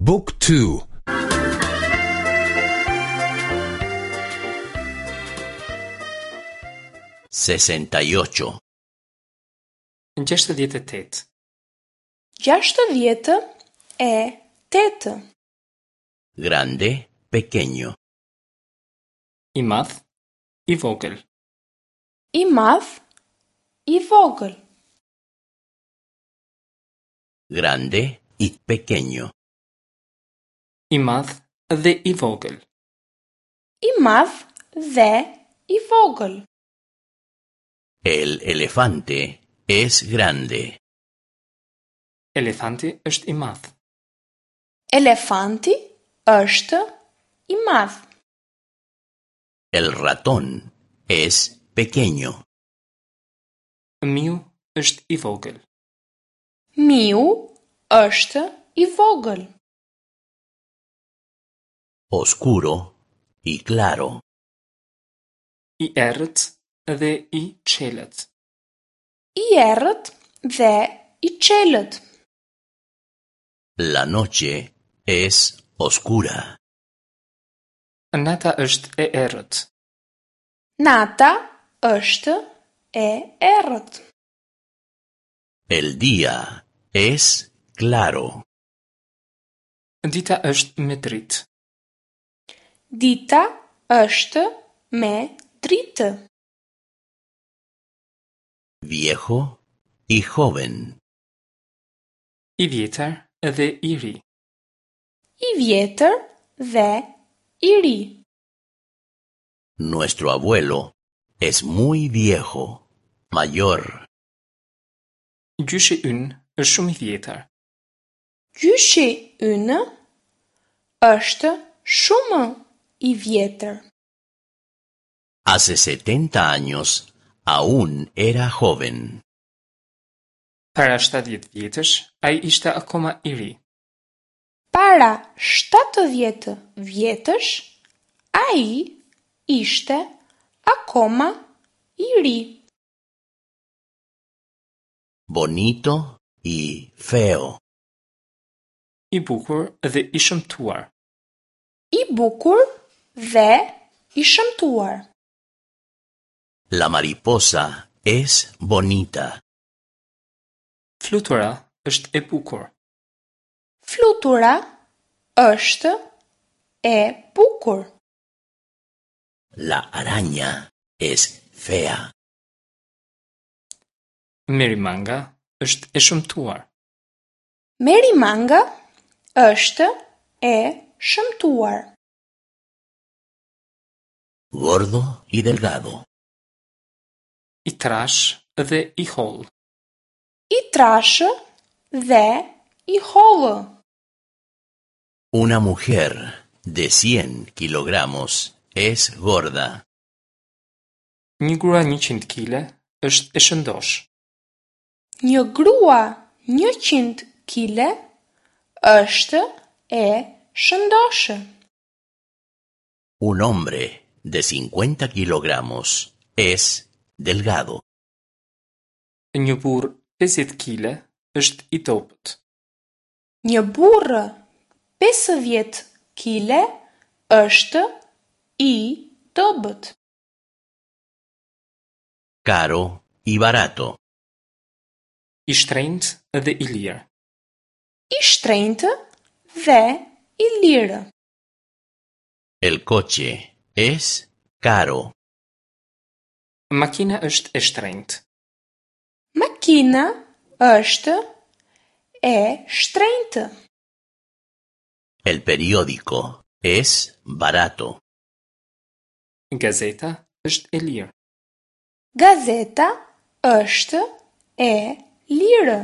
บุ๊กทู 68. 68. 68. Grande, pequeño. I madh, i vogël. I madh, i vogël. Grande y pequeño. I madh dhe i vogël. I madh dhe i vogël. El elefante es grande. Elefanti është i madh. Elefanti është i madh. El ratón es pequeño. Miu është i vogël. Miu është i vogël. Oscuro y claro. I errët dhe i çelët. I errët dhe i çelët. La noche es oscura. Nata është e errët. Nata është e errët. El día es claro. Dita është me dritë. Dita është me dritë. Viejo y joven. I vjetër dhe i ri. I vjetër dhe i ri. Nuestro abuelo es muy viejo, mayor. Gjyshi ynë është shumë i vjetër. Gjyshi ynë është shumë i vjetër. Hace 70 años aún era joven. Para 70 vjetësh, ai ishte akoma i ri. Para 70 vjetësh, ai ishte akoma i ri. Bonito y feo. I bukur dhe i shëmtuar. I bukur dhe i shëmtuar. La mariposa es bonita. Flutura është e bukur. Flutura është e bukur. La araña es fea. Merimanga është e shëmtuar. Merimanga është e shëmtuar. Gordo y delgado. I trash dhe i hollë. I trashë dhe i hollë. Una mujer de 100 kilogramos es gorda. Një grua 100 kile është e shëndosh. Një grua 100 kile është e shëndoshë. Un hombre de 50 kilogramos es delgado. Një burr 50 kile është i dobët. Një burrë 50 kile është i dobët. Caro y barato. I shtrenjtë dhe i lirë. I shtrenjtë dhe i lirë. El coche es caro. Makina është e shtrenjtë. Makina është e shtrenjtë. El periódico es barato. Gazeta është e lirë. Gazeta është e lirë.